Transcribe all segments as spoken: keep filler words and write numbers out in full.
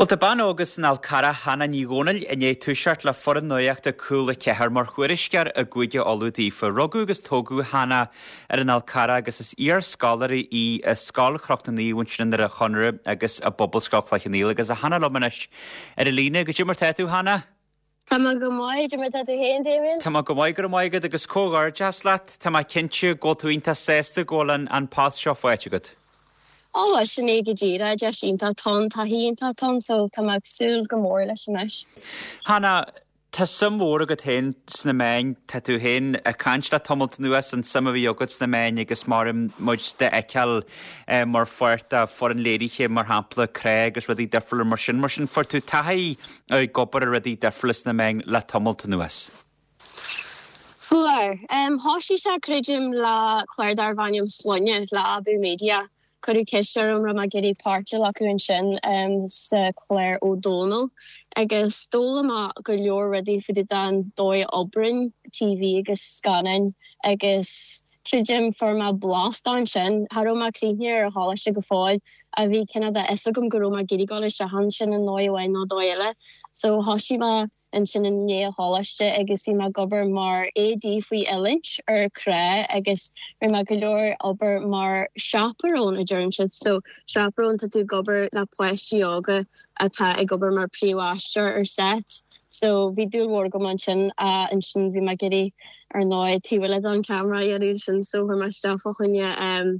Bhuel tá bean óg as an Fhál Carrach Hannah Ní Dhomhnaill i ndiaidh toiseacht le foireann nuachta Cúla Ceathair mar thuairisceoir i gCúige Uladh daofa. Rugadh agus tógadh Hannah ar an Fhál Carrach agus is iarscoláire í i Scoil Chnoc na Naomh ansin i nDoire Chonaire agus i bPobalscoil Chloich Cheann Fhaola agus tá Hannah liom anois ar an líne. Goidé mar tá tú Hannah? Tá mé go maith mar tá tú féin Damien? Tá mé go maith go raibh maith agat agus comhghairdeas leat Tá mé cinnte go bhfuil tú iontach sásta go bhfuil an, an post seo faighte agat. Ó sin é go díreach deis iontach atá ann taithí iontach atá ann so tá mé ag súil go mór leis anois. Hannah, Tá suim mhór agat féin sna meáin tá tú féin ag caint le tamalt anuas an suim a bhí agat sna meáin agus mar muid d'fheiceáil eh, mar pháirt de fhoireann léirithe mar shampla Cré agus rudaí difriúla mar sin mar sin fuair tú taithí ag obair ar rudaí difriúla sna meáin le tamalt anuas. Fuair um, thosaigh sé creidim le clár darbh ainm Sloinne le Abú Media. Cuireadh ceist orm raibh mé ag iarraidh páirt a ghlacadh ansin um, sa chlár Ó Dónaill agus d'fhoghlaim mé go leor rudaí faoi an dóigh a oibríonn TV agus scannáin agus creidim fuair mé blas ansin cha raibh mé críochnaithe ar an choláiste go fóill a bhí cineál de fhios agam go raibh mé ag iarraidh dul isteach ansin i ndóigh amháin nó dóigh eile so thosaigh mé ansin i ndiaidh an choláiste agus bhí mé ag obair mar AD faoi oiliúint ar Cré agus rinne mé go leor obair mar chaperone a deireann siad so chaperone tá tú ag obair le páistí óga atá ag obair mar príomhaisteoir ar set so bhí dúil mhór agam ansin ansin bhí mé ag iarraidh ar ndóigh taobh eile den camera dhéanamh sin so chuir mé isteach fá choinne um,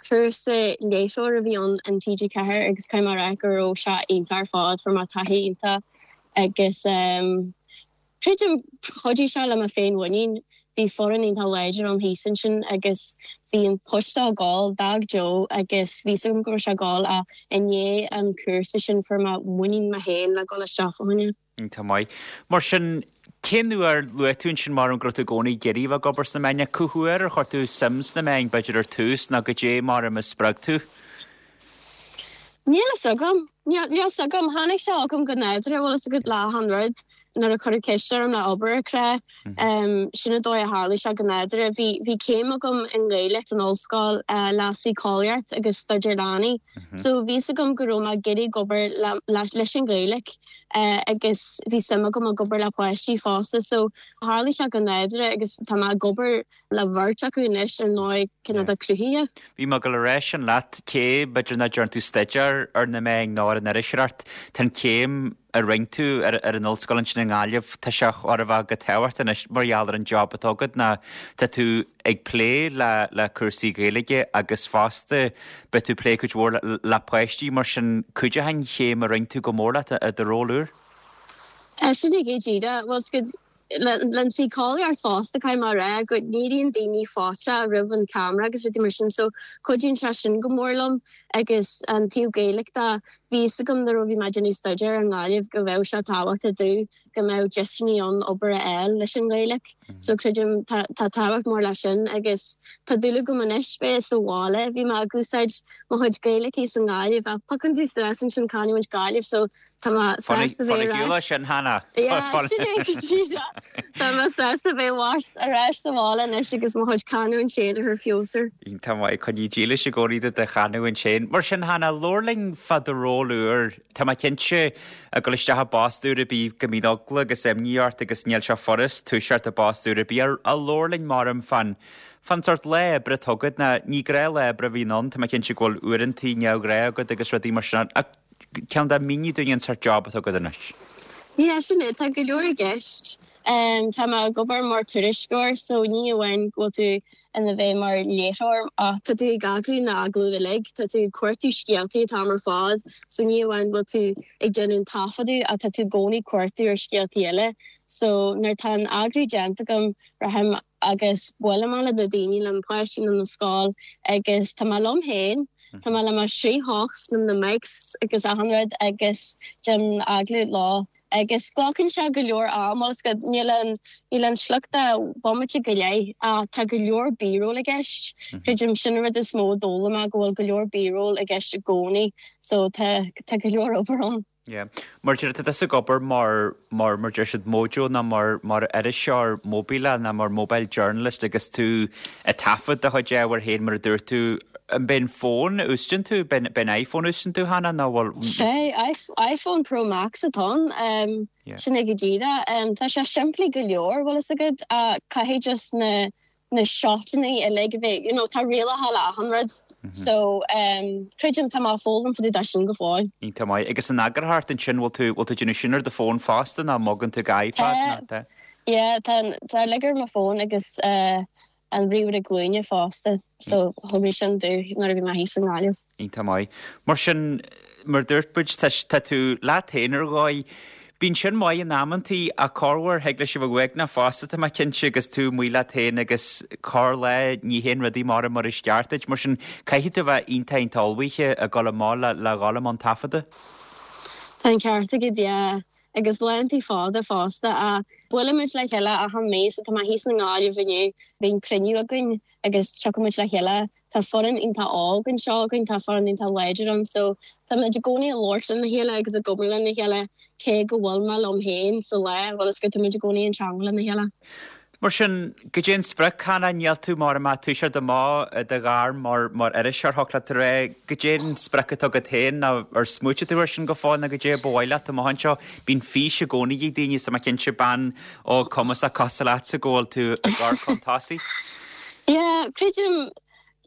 cúrsa léiritheoir a bhí ann an TG Ceathair agus caithfidh mé a rá go raibh sé iontach ar fad fuair mé taithí iontach agus um, creidim chuidigh sé le mo féinmhuinín bhí foireann iontach láidir ann thíos ansin agus bhí an post ag gabháil d'fhág Joe agus bhí agam go raibh sé ag gabháil a i ndiaidh an cúrsa sin fuair mé muinín mé féin le dul isteach fá choinne. Tá maith. Mar sin cén uair luaigh tú ansin mar an go raibh tú i gcónaí ag iarraidh bheith ag obair sna meáin cá huair ar chuir tú suim sna meáin b'fhéidir ar tús ná goidé mar a spreag tú? Níl a fhios agam Níl a fhios agam tháinig sé agam go nádúrtha bhfuil a fhios agat le han rud nuair a cuireadh ceist orm le obair Cré um, sin an dóigh a tharla sé go nádúrtha bhí bhí céim agam i nGaeilge san ollscoil uh, le síceolaíocht agus staidéar leanaí. So bhí a fhios agam go raibh mé ag iarraidh obair le, le, leis an Ghaeilge uh, agus bhí suim agam ag obair le páistí fosta so tharla sé go nádúrtha agus tá mé ag obair le beirt acu anois ar ndóigh cineál de cruthaithe. Bhí mé go leis an leat cé b'fhéidir nach ndearna tú staidéar ar na meáin ná ar an iriseoireacht Tá an céim a rinne tú ar, ar an ollscoil ansin i nGaillimh tá sé chóir a bheith go tábhachtach anois mar gheall ar an job atá agat ná tá tú ag plé le le cúrsaí Gaeilge agus fosta beidh tú plé cuid mhór le, le páistí mar sin cuideoidh an chéim a rinne tú go mór leat i do ról úr? Sin é go díreach well le síceolaíocht fosta caithfidh mé a rá go n-éiríonn daoine fáite roimh an camera agus rudaí mar sin so cuidíonn sé sin go mór liom agus an taobh Gaeilge de bhí a fhios agam nuair a bhí mé ag déanamh staidéar i nGaillimh go bheadh sé tábhachtach domh go mbeadh deiseanna ann obair a fháil leis an Ghaeilge. So creidim tá tábhacht mór leis sin agus tá dúil agam anois bheith sa bhaile bhí mé ag úsáid mo chuid Gaeilge san Ghaillimh a pacan tú suas ansin canúint Gaillimh so Tá sásta bheith sin Hannah Tá mé sásta bheith ar ais sa bhaile anois agus mo chuid canúint féin ar feabhas. Tá mai chun dílis i gcónaí de chanúint féin. Mar sin Hannah labhair linn fá do ról úr Tá mé cinnte ag dul isteach i bpost úr a bí go mbíonn eagla agus imní ort agus níl sé furast toiseacht i bpost úr a bí ar a labhair linn mar fan fan sórt lá oibre atá agat ná ní gnáthlá oibre a bhíonn ann Tá mé cinnte go bhfuil uaireanta neamhghnách agat agus rudaí mar sin ach ceann dá míní dúinn an sórt job atá agat anois. Yeah, sin é tá go leor i gceist. Um, tá mé ag obair mar tuairisceoir so ní amháin go bhfuil tú ina bheith mar léiritheoir ach tá tú ag eagrú na hagallaimh uilig, tá tú ag cuartú scéaltaí atá ar fad, so ní amháin bhfuil tú ag déanamh taifeadadh ach tá tú i gcónaí ag cuartú ar scéaltaí eile. So nuair tá an eagrú déanta agam rachaim agus buailim le na daoine le páistí na scoil agus tá mé liom féin Tá mé le mo thrí hocht le na mics agus achan rud agus déanaim agallamh leo agus glacann sé go leor am agus go níl an níl an sliocht bomaite go leith ach tá go leor B-roll i gceist. Creidim sin rud is mó a d'fhoghlaim mé go bhfuil go leor B-roll i gceist i gcónaí so tá tá go leor obair ann. Yeah. Mar deir tú ag obair mar mar mar deir siad mojo ná mar mar iriseoir móibíleach ná mar mobile journalist agus tú ag taifead do chuid ábhair féin mar a dúirt tú An b'in fón a úsáideann tú, b'in iPhone a úsáideann tú Hannah nó bhfuil? Sé, iPhone Pro Max atá ann, sin é go díreach. Tá sé simplí go leor, bhfuil fhios agat, caithfidh just na na shotanna uilig a bheith, you know, tá rialacha le achan rud. So, creidim tá mé ag foghlaim fá dtaobh de sin go fóill. Iontach maith. Agus an eagarthóireacht ansin, bhfuil tú, bhfuil tú ag déanamh sin ar do fón fosta nó an mbogann tú go iPad nó tá? Yeah, tá, tá uilig ar mo fón agus an ríomhaire glúine fosta so thug mé sin domh nuair a bhí mé thíos i nGaillimh. Iontach maith. Mar sin, mar dúirt muid, tá tá tú leat féin ar dhóigh. Bíonn sin maith in amantaí ach corruair thig leis a bheith uaigneach fosta tá mé cinnte agus tú amuigh leat féin agus corr-lá ní théann rudaí mar mar is ceart duit. Mar sin, caithfidh tú a bheith iontach iontach ullmhaithe ag dul amach le le dhul i mbun taifeadta. Tá an ceart agat, yeah. Agus laethanta fada fosta. Buailimid le chéile achan mí so tá mé thíos i nGaillimh inniu, bíonn cruinniú againn agus tiocfaimid le chéile. Tá foireann iontach óg anseo againn, tá foireann iontach láidir ann so táimid i gcónaí ag labhairt lena chéile agus ag obair lena chéile cé go bhfuil mé liom féin sa lá, bhfuil fhios agat, táimid i gcónaí in teangmháil lena chéile. Mar sin, goidé an sprioc, Hannah, níl tú mar a mbeadh toiseacht amach i do ghairm mar mar iriseoir, thiocfadh leat a rá, goidé an sprioc atá agat féin nó ar smaoitigh tú air sin go fóill nó goidé ba mhaith leat amach anseo? Bíonn fís i gcónaí ag daoine is tá mé cinnte bean óg cumasach cosúil leatsa go bhfuil tú ag gabháil chun tosaigh. Yeah, creidim,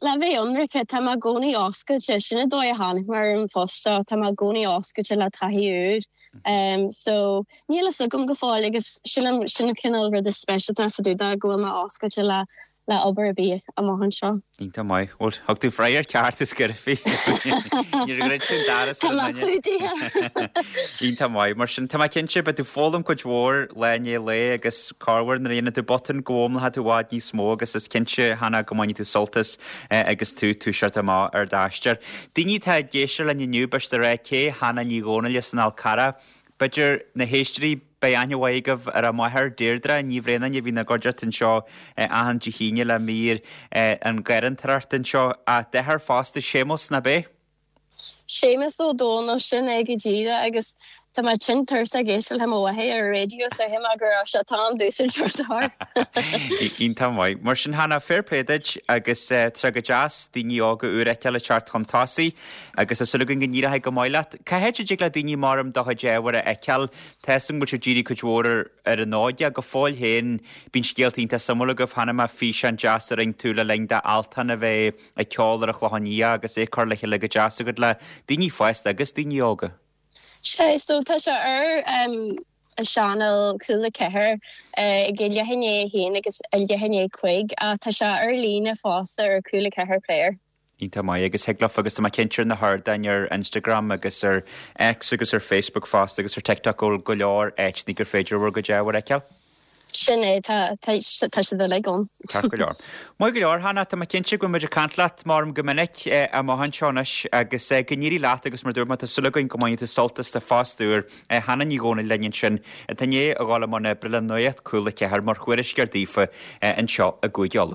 le bheith ionraic, tá mé i gcónaí oscailte, sin an dóigh a tháinig mé ar an phost seo, tá mé i gcónaí oscailte le taithí úr. Um, so níl fhios agam go fóill agus sílim sin an cineál rud is speisialta fá dtaobh de go bhfuil mé oscailte le le obair ar bith amach anseo. Iontach maith. Bhuel, thug tú freagra ceart is gcuirfí. Níor dhruid tú an doras ar an duine. Tá mé clúdaithe. Iontach maith. Mar sin, tá mé cinnte, beidh tú ag foghlaim cuid mhór lá i ndiaidh lae agus corruair nuair a dhéanann tú botún go bhfoghlaimeoidh tú i bhfad níos mó agus is cinnte, Hannah, go mbainfidh tú sult as agus tú ag toiseacht amach ar d'aistear. Daoine atá ag éisteacht linn inniu, b'fhéidir a rá cé Hannah Ní Dhomhnaill as an Fhál Carrach. B'fhéidir na héisteoirí, beidh aithne mhaith agaibh ar a máthair, Deirdre Ní Bhraonáin, a bhíonn ina gcuideachta anseo achan Dé hAoine le mír an gharrantóireacht anseo. A deartháir fosta, Séamus, nach b'é? Séamus Ó Dónaill, sin é go díreach agus tá mé tinn tuirseach ag éisteacht le mo mháthair ar an raidió so shíl mé go raibh sé t-am domhsa teacht. Iontach maith. Mar sin Hannah, fair play duit agus tá sé go deas daoine óga úr a fheiceáil ag teacht chun tosaigh agus tá súil againn go n-éireoidh go maith leat. Cá háit a dtig le daoine mar do chuid ábhair a fheiceáil? Tá 'fhios agam go bhfuil sibh ag díriú cuid mhór ar ar an óige. Go fóill féin bíonn scéalta iontach suimiúil agaibh. Chonaic mé físeán deas a rinne tú le linn d'Altan a bheith ag ceol ar an Chlochán Liath agus é curtha le chéile go deas agat le daoine fásta agus daoine óga. Sea, so tá sé ar um, a channel Cúla Ceathair ag a leath i ndiaidh a haon agus a leath i ndiaidh a cúig ach tá sé ar líne fosta ar Cúla Ceathair Player. Iontach maith agus thig leofa agus tá mé cinnte ar na hardáin ar Instagram agus ar X agus ar Facebook fosta agus ar TikTok go bhfuil go leor áiteanna gur féidir bhur gcuid ábhair a fheiceáil. Sin é, tá tá tá siad uilig ann. Ceart go leor. Maith go leor, Hannah, tá mé cinnte go bhfuil muid ag caint leat maram go minic amach anseo anois agus go n-éirí leat agus mar dúirt mé tá súil againn go mbainfidh tú sult as do phost úr. Hannah Ní Dhomhnaill linn ansin atá i ndiaidh a dhul i mbun oibre le Nuacht Cúla Ceathair mar thuairisceoir daofa anseo i gCúige Uladh.